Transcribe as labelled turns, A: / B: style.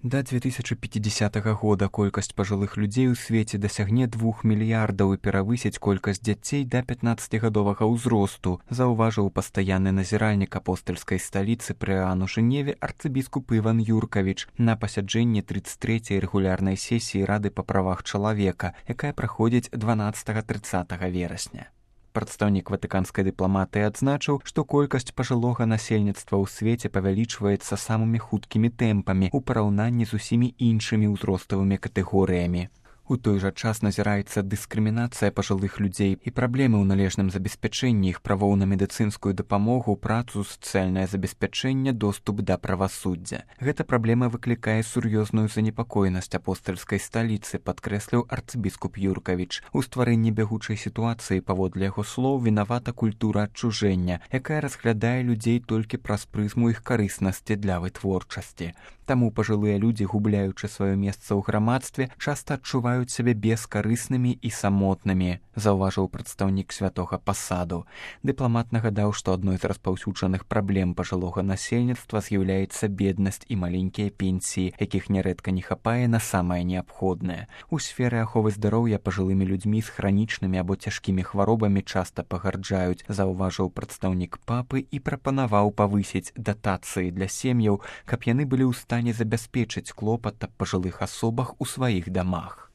A: Да 2050 года колькасць пажылых людзей у свеце дасягне 2 мільярдаў і перавысіць колькасць дзяцей да 15гадовага ўзросту, заўважыў пастаянны назіральнік апостальскай сталіцы пры ААН у Жэневе арцыбіскуп Іван Юркавіч на пасяджэнні 33-й рэгулярнай сесіі Рады па правах чалавека, якая праходзіць 12-30 верасня. Прадстаўнік ватыканскай дыпламатыі адзначыў, што колькасць пажылога насельніцтва ў свеце павялічваецца самымі хуткімі тэмпамі ў параўнанні з усімі іншымі ўзроставымі катэгорыямі. У той жа час назіраецца дыскрымінацыя пажылых людзей і праблемы ў належным забеспячэнні іх правоў на медыцынскую дапамогу, працу, сацыяльнае забеспячэнне, доступ да правасуддзя. Гэта праблема выклікае сур'ёзную занепакоенасць апостальскай сталіцы, падкрэсліў арцыбіскуп Юркавіч. У стварэнні бягучай сітуацыі, паводле яго слоў, вінавата культура адчужэння, якая разглядае людзей толькі праз прызму іх карыснасці для вытворчасці. Таму пажылыя людзі, губляючы сваё месца ў грамадстве, часта адчуваюць сябе бескарыснымі і самотнымі, заўважыў прадстаўнік святога пасаду. Дыпламат нагадаў, што адной з распаўсюджаных праблем пажылога насельніцтва з'яўляецца беднасць і маленькія пенсіі, якіх нярэдка не хапае на самае неабходнае. У сферы аховы здароўя пажылымі людзьмі з хранічнымі або цяжкімі хваробамі часта пагарджаюць, заўважыў прадстаўнік папы і прапанаваў павысіць датацыі для сем'яў, каб яны былі ў стане забяспечыць клопат аб пажылых асобах у сваіх дамах.